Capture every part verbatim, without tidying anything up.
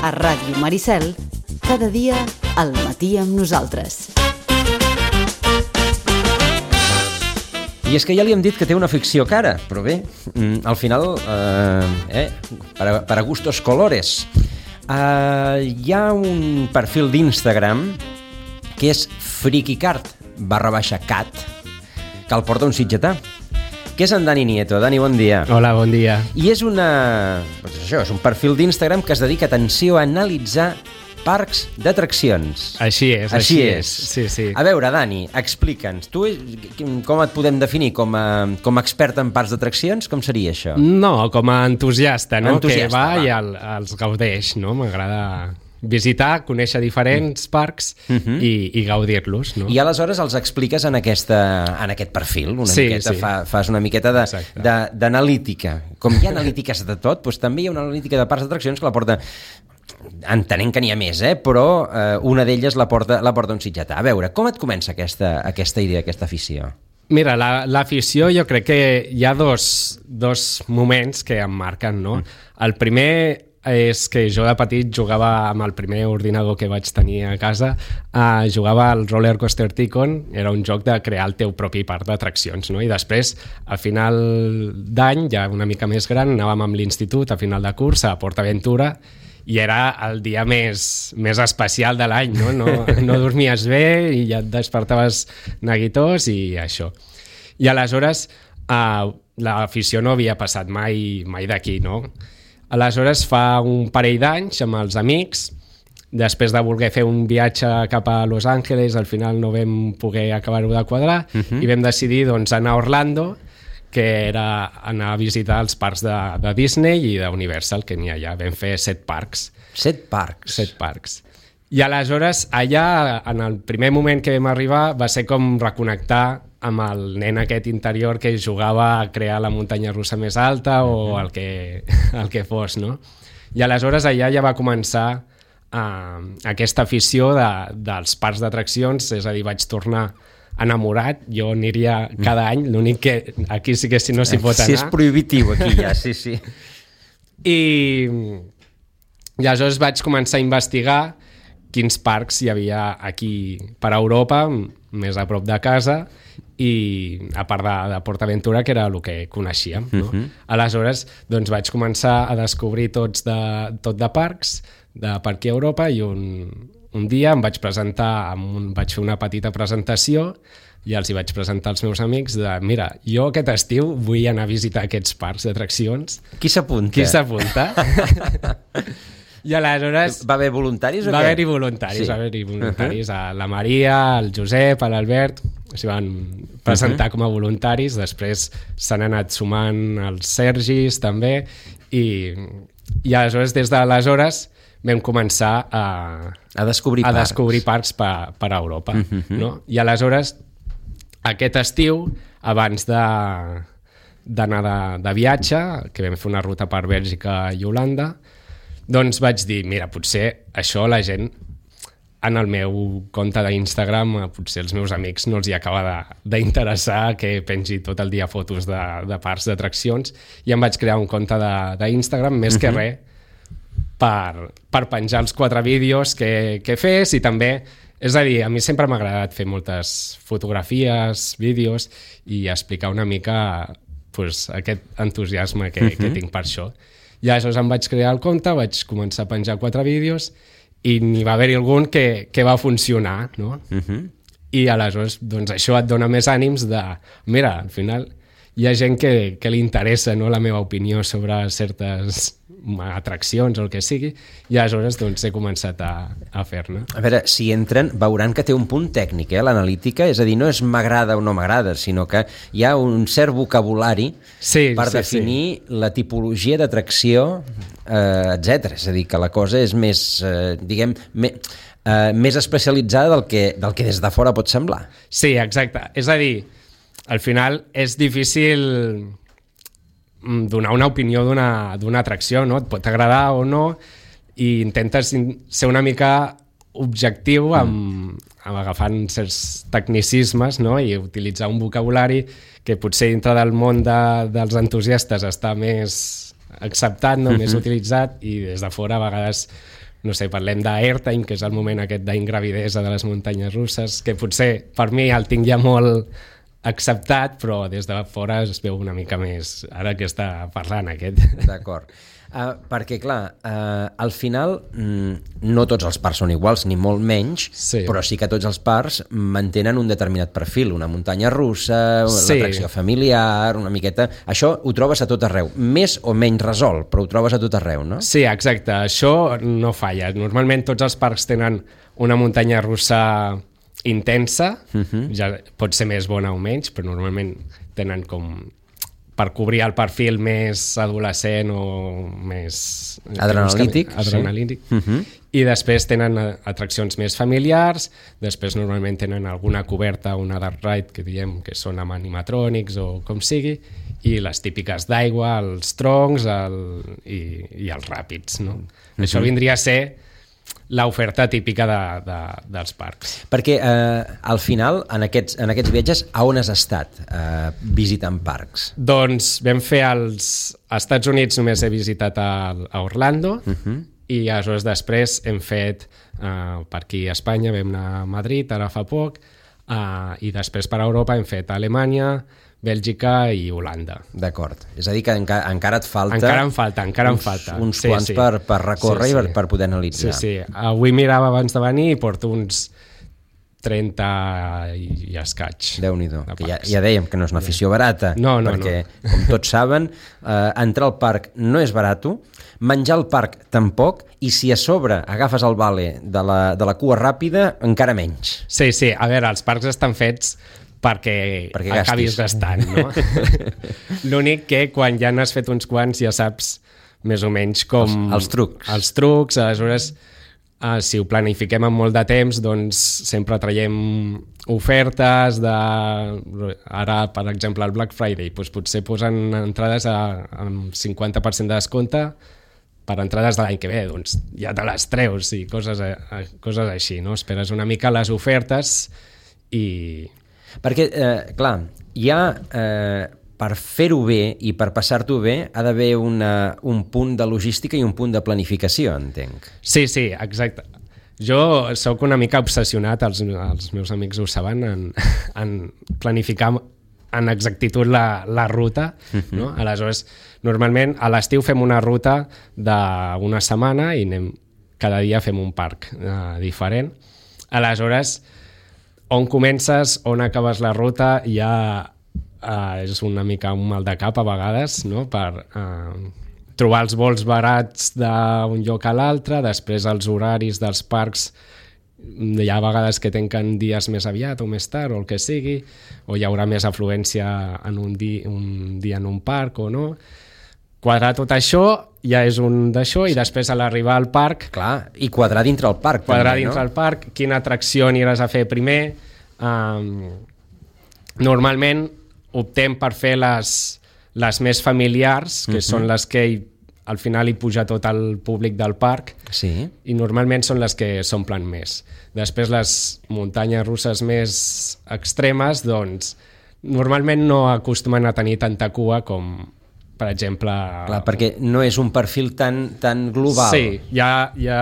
A Ràdio Maricel, cada dia al matí amb nosaltres. I és que ja li hem dit que té una ficció cara, però bé, al final, eh, eh, per, a, per a gustos colores. Eh, hi ha un perfil d'Instagram que és frikicart barra baixa cat, que el porta un sitgetà, que és en Dani Nieto. Dani, bon dia. Hola, bon dia. I és una... Doncs això, és un perfil d'Instagram que es dedica, atenció, a analitzar parcs d'atraccions. Així és, així, així és. és. Sí, sí. A veure, Dani, explica'ns. Tu com et podem definir? Com a, com a expert en parcs d'atraccions? Com seria això? No, com a entusiasta, no? Entusiasta, que va, va. i el, els gaudeix, no? M'agrada visitar, conèixer diferents parcs uh-huh. i, i gaudir-los, no? I aleshores els expliques en, aquesta, en aquest perfil, una sí, miqueta, sí. fa, fas una miqueta d'analítica. Com hi ha analítiques de tot, doncs també hi ha una analítica de parcs d'atraccions que la porta, entenent que n'hi ha més, eh? Però eh, una d'elles la porta, la porta un sitgetà. A veure, com et comença aquesta, aquesta idea, aquesta afició? Mira, la, l'afició jo crec que hi ha dos, dos moments que em marquen, no? Mm. El primer és que jo de petit jugava amb el primer ordinador que vaig tenir a casa, uh, jugava al Roller Coaster Tycoon, era un joc de crear el teu propi parc d'atraccions, no? I després, a final d'any, ja una mica més gran, anàvem amb l'institut a final de curs a PortAventura i era el dia més, més especial de l'any, no? No, no dormies bé i ja et despertaves neguitós i això. I aleshores uh, l'afició no havia passat mai, mai d'aquí, no? Aleshores, fa un parell d'anys, amb els amics, després de voler fer un viatge cap a Los Angeles, al final no vam poder acabar-ho de quadrar, uh-huh. i vam decidir doncs, anar a Orlando, que era anar a visitar els parcs de, de Disney i d'Universal, que n'hi ha allà. Vam fer set parcs. Set parcs? Set parcs. I aleshores, allà, en el primer moment que vam arribar, va ser com reconnectar amb el nen aquest interior que jugava a crear la muntanya russa més alta o el que, el que fos, no? I aleshores allà ja va començar uh, aquesta afició de, dels parcs d'atraccions, és a dir, vaig tornar enamorat, jo aniria cada any, l'únic que aquí sí que si no s'hi pot anar. Sí, és prohibitiu aquí ja, sí, sí. I, i aleshores vaig començar a investigar quins parcs hi havia aquí per Europa, més a prop de casa, i a part de, de PortAventura, que era el que coneixíem, no? Uh-huh. Aleshores, doncs vaig començar a descobrir tots de, tot de parcs, de per aquí a Europa, i un, un dia em vaig presentar, amb un, vaig fer una petita presentació, i els hi vaig presentar als meus amics de, mira, jo aquest estiu vull anar a visitar aquests parcs d'atraccions. Qui s'apunta? Qui s'apunta? I aleshores... Va haver voluntaris o va què? Haver-hi voluntaris, sí. Va haver-hi voluntaris. Uh-huh. La Maria, el Josep, l'Albert, s'hi van presentar uh-huh. com a voluntaris, després s'han anat sumant els Sergis també, i, i aleshores des d'aleshores vam començar a, a descobrir a parcs, descobrir parcs per, per a Europa. Uh-huh. No? I aleshores, aquest estiu, abans de, d'anar de, de viatge, que vam fer una ruta per Bèlgica i Holanda, doncs vaig dir, mira, potser això la gent en el meu compte d'Instagram, potser els meus amics no els hi acaba de, d'interessar que pengi tot el dia fotos de, de parcs d'atraccions, i em vaig crear un compte de, d'Instagram, més uh-huh. que res per, per penjar els quatre vídeos que, que fes, i també, és a dir, a mi sempre m'ha agradat fer moltes fotografies, vídeos, i explicar una mica pues, aquest entusiasme que, uh-huh. que tinc per això. I aleshores em vaig crear el compte, vaig començar a penjar quatre vídeos i n'hi va haver-hi algun que, que va funcionar, no? Uh-huh. I aleshores doncs, això et dona més ànims de, mira, al final hi ha gent que, que li interessa, no, la meva opinió sobre certes atraccions o el que sigui, i aleshores doncs, he començat a, a fer-ne. A veure, si entren, veuran que té un punt tècnic, eh, l'analítica, és a dir, no és m'agrada o no m'agrada, sinó que hi ha un cert vocabulari sí, per sí, definir sí. la tipologia d'atracció, eh, etcètera. És a dir, que la cosa és més, eh, diguem, me, eh, més especialitzada del que, del que des de fora pot semblar. Sí, exacte. És a dir, al final és difícil donar una opinió d'una, d'una atracció, no? Et pot agradar o no, i intentes ser una mica objectiu amb, amb agafant certs tecnicismes, no? I utilitzar un vocabulari que potser dintre del món de, dels entusiastes està més acceptat, no? Uh-huh. Més utilitzat, i des de fora a vegades no sé, parlem d'Airtime, que és el moment aquest d'ingravidesa de les muntanyes russes, que potser per mi el tinc ja molt acceptat, però des de fora es veu una mica més ara que està parlant aquest. D'acord. Uh, perquè, clar, uh, al final mm, no tots els parcs són iguals, ni molt menys, sí. però sí que tots els parcs mantenen un determinat perfil, una muntanya russa, sí. l'atracció familiar, una miqueta... Això ho trobes a tot arreu, més o menys resolt, però ho trobes a tot arreu, no? Sí, exacte, això no falla. Normalment tots els parcs tenen una muntanya russa intensa, uh-huh. ja pot ser més bona o menys, però normalment tenen com... per cobrir el perfil més adolescent o més... Adrenalític. Adrenalític. Sí. Uh-huh. I després tenen atraccions més familiars, després normalment tenen alguna coberta, una dark ride, que diem que són amb animatrònics o com sigui, i les típiques d'aigua, els troncs el, i, i els ràpids, no? Uh-huh. Això vindria a ser l'oferta típica de, de, dels parcs. Perquè eh, al final, en aquests, en aquests viatges, a on has estat eh, visitant parcs? Doncs vam fer els... Als Estats Units només he visitat a, a Orlando, uh-huh. i aleshores després hem fet eh, per aquí a Espanya, vam anar a Madrid ara fa poc, eh, i després per a Europa hem fet a Alemanya, Bèlgica i Holanda. D'acord. És a dir, que enca encara et falta... Encara em falta, encara uns, em falta. Uns sí, quants sí. per, per recórrer sí, sí. i per, per poder analitzar. Sí, sí. Avui mirava abans de venir i porto uns trenta i, i escaig. Déu-n'hi-do. Que ja, ja dèiem que no és una afició barata. No, no, perquè, no. com tots saben, eh, entrar al parc no és barato, menjar al parc tampoc, i si a sobre agafes el vale de la, de la cua ràpida, encara menys. Sí, sí. A veure, els parcs estan fets perquè, perquè acabis gastant, no? L'únic que quan ja n'has fet uns quants ja saps més o menys com... Els, els trucs. Els trucs, aleshores, eh, si ho planifiquem amb molt de temps, doncs sempre traiem ofertes de... Ara, per exemple, el Black Friday, doncs potser posen entrades a, amb cinquanta per cent de descompte per entrades de l'any que ve, doncs ja te les treus i coses, a, coses així, no? Esperes una mica les ofertes i... Perquè, eh, clar, ja eh, per fer-ho bé i per passar-t'ho bé ha d'haver un punt de logística i un punt de planificació, entenc. Sí, sí, exacte. Jo sóc una mica obsessionat, els, els meus amics ho saben, en, en planificar en exactitud la, la ruta, uh-huh. no? Aleshores, normalment a l'estiu fem una ruta d'una setmana i anem, cada dia fem un parc eh, diferent. Aleshores, on comences, on acabes la ruta, ja eh, és una mica un mal de cap a vegades, no? Per eh, trobar els vols barats d'un lloc a l'altre, després els horaris dels parcs, hi ha vegades que tanquen dies més aviat o més tard o el que sigui, o hi haurà més afluència en un, di un dia en un parc o no. Quadrar tot això ja és un d'això, i després a l'arribar al parc... Clar, i quadrar dintre el parc. Quadrar també, dintre no? el parc, quina atracció aniràs a fer primer. Um, normalment optem per fer les, les més familiars, que uh-huh. són les que hi, al final hi puja tot el públic del parc, sí. i normalment són les que s'omplen més. Després les muntanyes russes més extremes, doncs normalment no acostumen a tenir tanta cua com... per exemple... Clar, perquè no és un perfil tan, tan global. Sí, ja, ja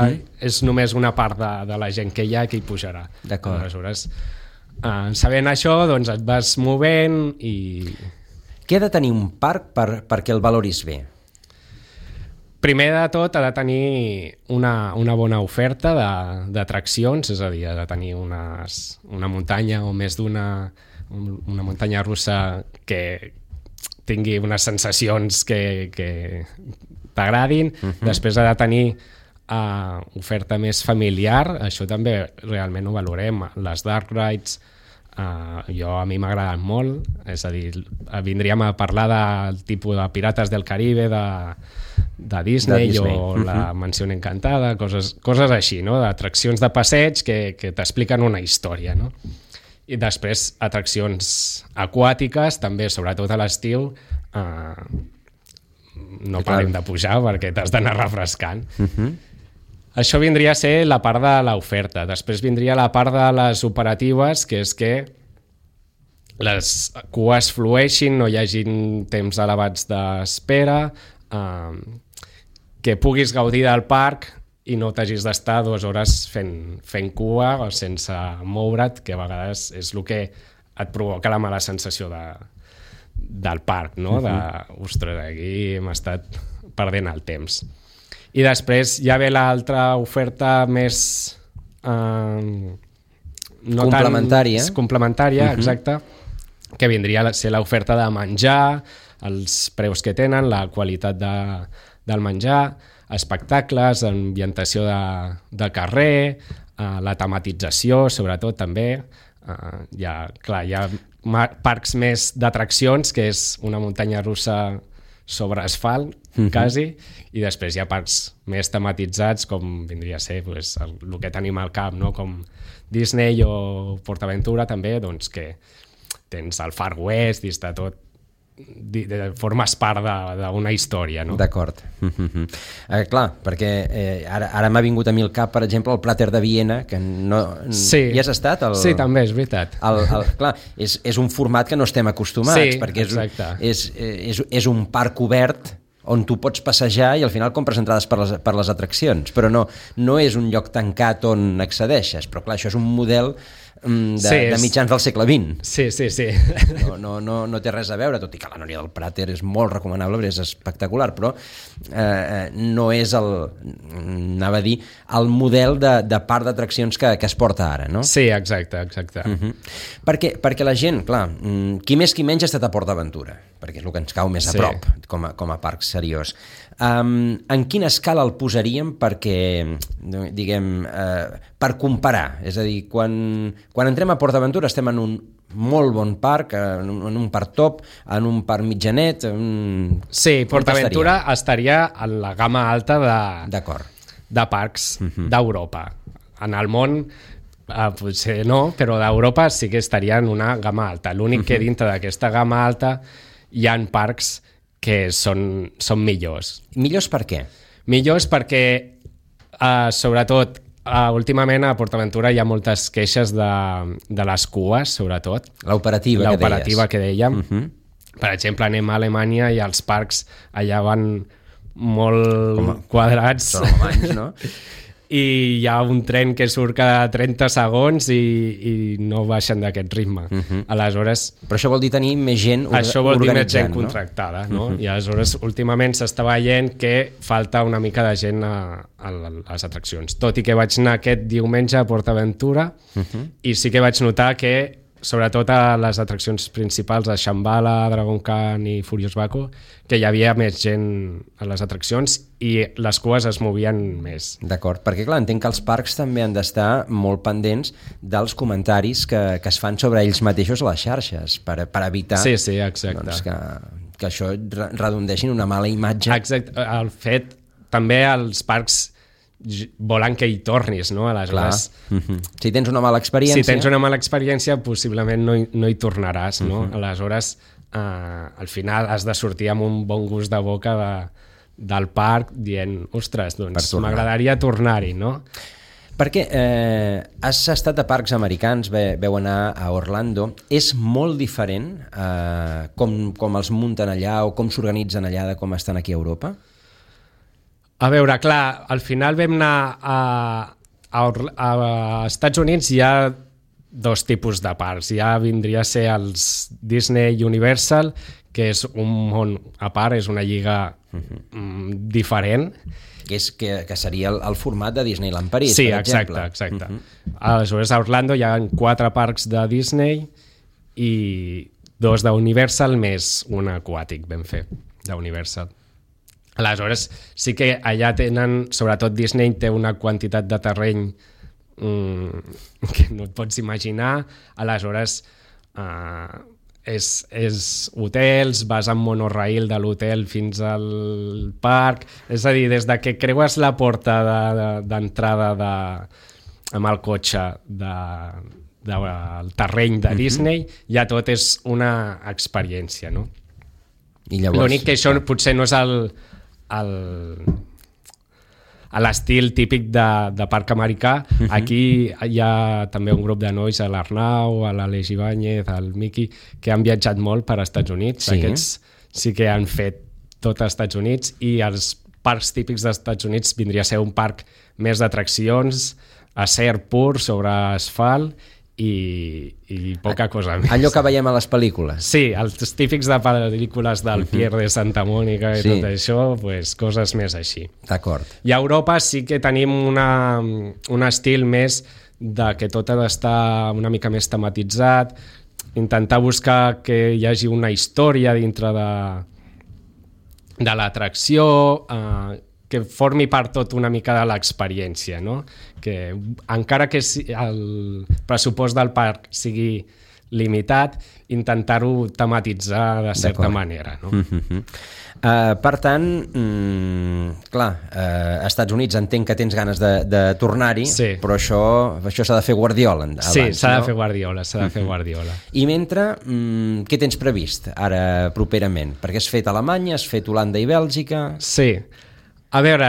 uh-huh. és només una part de, de la gent que hi ha que hi pujarà. D'acord. Aleshores, eh, sabent això, doncs et vas movent i... Què ha de tenir un parc per, perquè el valoris bé? Primer de tot ha de tenir una, una bona oferta d'atraccions, és a dir, ha de tenir unes, una muntanya o més d'una una muntanya russa que tingui unes sensacions que, que t'agradin. Uh-huh. Després ha de tenir uh, oferta més familiar, això també realment ho valorem. Les dark rides, uh, jo a mi m'agraden molt, és a dir, vindríem a parlar del tipus de Pirates del Caribe, de, de Disney, de Disney. O uh-huh. la Mansió Encantada, coses, coses així, no? D'atraccions de passeig que, que t'expliquen una història, no? I després atraccions aquàtiques, també, sobretot a l'estiu, eh, no parem de pujar perquè t'has d'anar refrescant. Uh-huh. Això vindria a ser la part de l'oferta. Després vindria la part de les operatives, que és que les cues flueixin, no hi hagin temps elevats d'espera, eh, que puguis gaudir del parc i no t'hagis d'estar dues hores fent, fent cua o sense moure't, que a vegades és el que et provoca la mala sensació de, del parc, no? De, ostres, aquí hem estat perdent el temps. I després ja ve l'altra oferta més... Eh, no complementària. Tan, complementària, uh-huh. exacte, que vindria a ser l'oferta de menjar, els preus que tenen, la qualitat de, del menjar, espectacles, ambientació de, de carrer, eh, la tematització, sobretot, també. Eh, hi ha, clar, hi ha parcs més d'atraccions, que és una muntanya russa sobre asfalt, uh-huh. quasi, i després hi ha parcs més tematitzats, com vindria a ser pues, el, el que tenim al cap, no? Com Disney o PortAventura, també, doncs que tens el Far West i està tot, de, de, formes part d'una història, no? D'acord. Uh-huh. Eh, clar, perquè eh, ara, ara m'ha vingut a mi al cap, per exemple, el Prater de Viena, que no... Sí. Hi has estat? El, sí, també, és veritat. El, el, clar, és, és un format que no estem acostumats, sí, perquè és, exacte. és, és, és un parc obert on tu pots passejar i al final compres entrades per les, per les atraccions, però no, no és un lloc tancat on accedeixes, però clar, això és un model de, sí, és... de mitjans del segle vint. Sí, sí, sí. No, no, no, no té res a veure, tot i que la Núria del Prater és molt recomanable, és espectacular, però eh, no és el, anava a dir, el model de, de parc d'atraccions que, que es porta ara, no? Sí, exacte, exacte. Uh-huh. perquè, perquè la gent, clar, qui més qui menys ha estat a PortAventura, perquè és el que ens cau més a sí. prop com a, com a parc seriós. Um, en quina escala el posaríem perquè, diguem, uh, per comparar? És a dir, quan, quan entrem a PortAventura estem en un molt bon parc, en un, en un parc top, en un parc mitjanet... Un... Sí, PortAventura estaria en la gamma alta de, de parcs uh-huh. d'Europa. En el món uh, potser no, però d'Europa sí que estaria en una gamma alta. L'únic uh-huh. que dintre d'aquesta gamma alta hi ha parcs que són, són millors. Millors per què? Millors perquè, uh, sobretot, uh, últimament a PortAventura hi ha moltes queixes de, de les cues, sobretot. L'operativa, L'operativa que dèiem. Uh-huh. Per exemple, anem a Alemanya i els parcs allà van molt a, quadrats. Són alemanys, no? I hi ha un tren que surt cada trenta segons i, i no baixen d'aquest ritme. Uh-huh. Aleshores... Però això vol dir tenir més gent organitzant, això vol dir més gent no? contractada, no? Uh-huh. I aleshores, últimament s'està veient que falta una mica de gent a, a les atraccions. Tot i que vaig anar aquest diumenge a PortAventura uh-huh. i sí que vaig notar que sobretot a les atraccions principals, a Shambhala, Dragon Khan i Furious Baco, que hi havia més gent a les atraccions i les cues es movien més. D'acord, perquè clar, entenc que els parcs també han d'estar molt pendents dels comentaris que, que es fan sobre ells mateixos a les xarxes, per, per evitar sí, sí, exacte. Doncs, que, que això redondeixi en una mala imatge. Exacte, el fet també als parcs volen que hi tornis, no? Aleshores, uh-huh. si tens una mala experiència... Si tens una mala experiència, possiblement no hi, no hi tornaràs, no? Uh-huh. Aleshores, eh, al final has de sortir amb un bon gust de boca de, del parc dient, ostres, doncs m'agradaria tornar-hi, no? Perquè eh, has estat a parcs americans, ve, veu anar a Orlando, és molt diferent eh, com, com els munten allà o com s'organitzen allà de com estan aquí a Europa? A veure, clar, al final vam anar a, a, a Estats Units, hi ha dos tipus de parcs. Ja vindria a ser els Disney Universal, que és un món a part, és una lliga uh-huh. mm, diferent. Que, és, que, que seria el, el format de Disneyland París, sí, per exemple. exemple. Sí, exacte, exacte. Uh-huh. Aleshores, a Orlando hi ha quatre parcs de Disney i dos d'Universal més un aquàtic ben fet d'Universal. Aleshores, sí que allà tenen, sobretot Disney té una quantitat de terreny mm, que no et pots imaginar. Aleshores, eh, és, és hotels, vas amb monorail de l'hotel fins al parc, és a dir, des de que creues la porta d'entrada de, de, amb el cotxe de, de, del terreny de Disney, mm-hmm. ja tot és una experiència, no? I llavors... L'únic que això potser no és el... El, a l'estil típic de, de parc americà. Uh-huh. Aquí hi ha també un grup de nois, a l'Arnau, a l'Aleix Ibáñez, al Miqui, que han viatjat molt per als Estats Units. Sí. Aquests sí que han fet tot als Estats Units i els parcs típics dels Estats Units vindria a ser un parc més d'atraccions, acer pur sobre asfalt i, i poca cosa més. Allò que veiem a les pel·lícules. Sí, els típics de pel·lícules del uh-huh. Pier de Santa Mònica i sí. tot això, pues, coses més així. D'acord. I a Europa sí que tenim una, un estil més de que tot ha d'estar una mica més tematitzat, intentar buscar que hi hagi una història dintre de, de l'atracció, eh, que formi part tot una mica de l'experiència, no? Que encara que el pressupost del parc sigui limitat, intentar-ho tematitzar de certa D'acord. manera, no? Mm-hmm. Uh, per tant, mm, clar, uh, als Estats Units entenc que tens ganes de, de tornar-hi, sí. però això això s'ha de fer Guardiola abans, sí, s'ha no? de fer Guardiola, s'ha de fer Guardiola. I mentre, mm, què tens previst ara properament? Perquè has fet Alemanya, has fet Holanda i Bèlgica... Sí. A veure,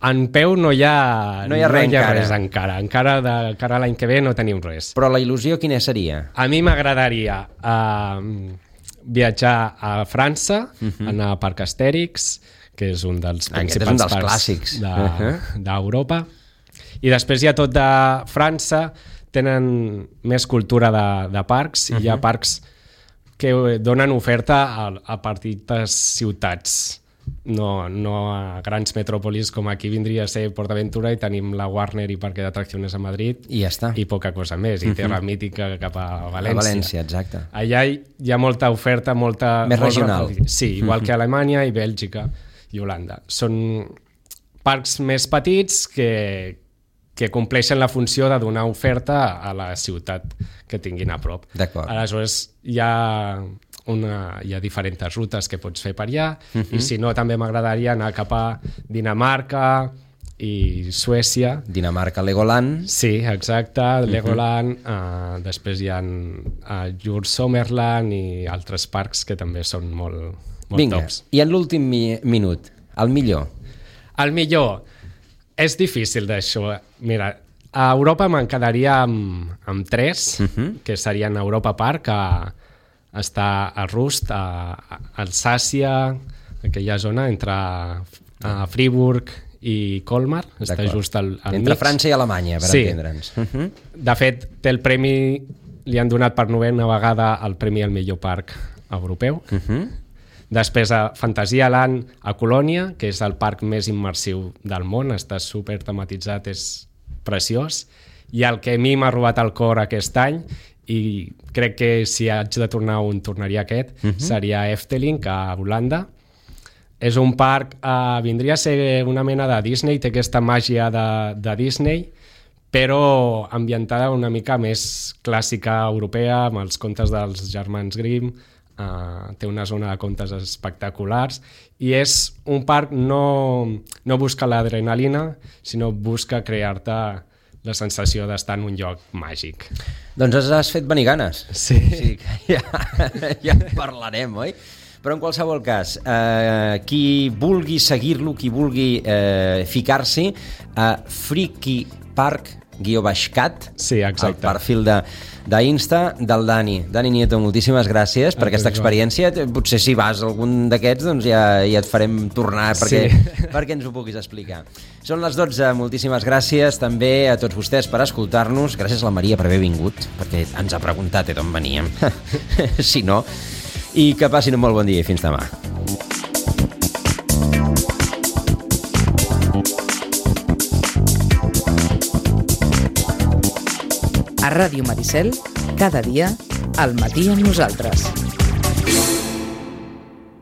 en peu no hi ha, no hi ha, res, no hi ha encara. res encara. Encara de cara a l'any que ve no tenim res. Però la il·lusió quina seria? A mi m'agradaria uh, viatjar a França, uh-huh. anar a Parc Astèrix, que és un dels principals un dels parcs clàssics de, uh-huh. d'Europa. I després hi ha tot de França, tenen més cultura de, de parcs, uh-huh. i hi ha parcs que donen oferta a, a petites ciutats. No, no a grans metròpolis com aquí vindria a ser PortAventura i tenim la Warner i Parque d'Atracciones a Madrid i ja està. I poca cosa més, i Terra Mítica cap a València. A València, exacte. Allà hi, hi ha molta oferta, molta... Més regional. Molta, sí, igual que Alemanya i Bèlgica i Holanda. Són parcs més petits que, que compleixen la funció de donar oferta a la ciutat que tinguin a prop. D'acord. Aleshores, hi ha... Una, hi ha diferents rutes que pots fer per allà, uh-huh. i si no també m'agradaria anar cap a Dinamarca i Suècia. Dinamarca, Legoland. Sí, exacte, Legoland, uh-huh. uh, després hi ha uh, Jur Sommerland i altres parcs que també són molt, molt Vinga. tops. I en l'últim mi- minut, el millor? El millor, és difícil d'això. Mira, a Europa me'n quedaria amb, amb tres, uh-huh. que serien Europa Park, a està a Rust, a Alsàcia, aquella zona entre a Friburg i Colmar, està D'acord. just al, al entre mig. França i Alemanya, per sí. entendre'ns. Uh-huh. De fet, té el premi, li han donat per novena vegada el premi al millor parc europeu. Uh-huh. Després a Fantasyland a Colònia, que és el parc més immersiu del món, està super tematitzat, és preciós. I el que a mi m'ha robat el cor aquest any, i crec que si haig de tornar un tornaria aquest, uh-huh. seria Efteling, a Holanda. És un parc, eh, vindria a ser una mena de Disney, té aquesta màgia de, de Disney, però ambientada una mica més clàssica europea, amb els contes dels germans Grimm, eh, té una zona de contes espectaculars, i és un parc no, no busca l'adrenalina, sinó busca crear-te la sensació d'estar en un lloc màgic. Doncs has fet venir ganes. Sí. sí ja, ja en parlarem, oi? Però en qualsevol cas, eh, qui vulgui seguir-lo, qui vulgui eh, ficar-s'hi a Freaky Park guió baix cat, sí, exacte. El perfil de d'Insta del Dani. Dani Nieto, moltíssimes gràcies per aquesta experiència. Potser si vas a algun d'aquests doncs ja, ja et farem tornar perquè, sí. perquè ens ho puguis explicar. Són les dotze, moltíssimes gràcies també a tots vostès per escoltar-nos. Gràcies a la Maria per haver vingut, perquè ens ha preguntat d'on veníem. Si no, i que passin un molt bon dia i fins demà. A Ràdio Maricel, cada dia, al matí amb nosaltres.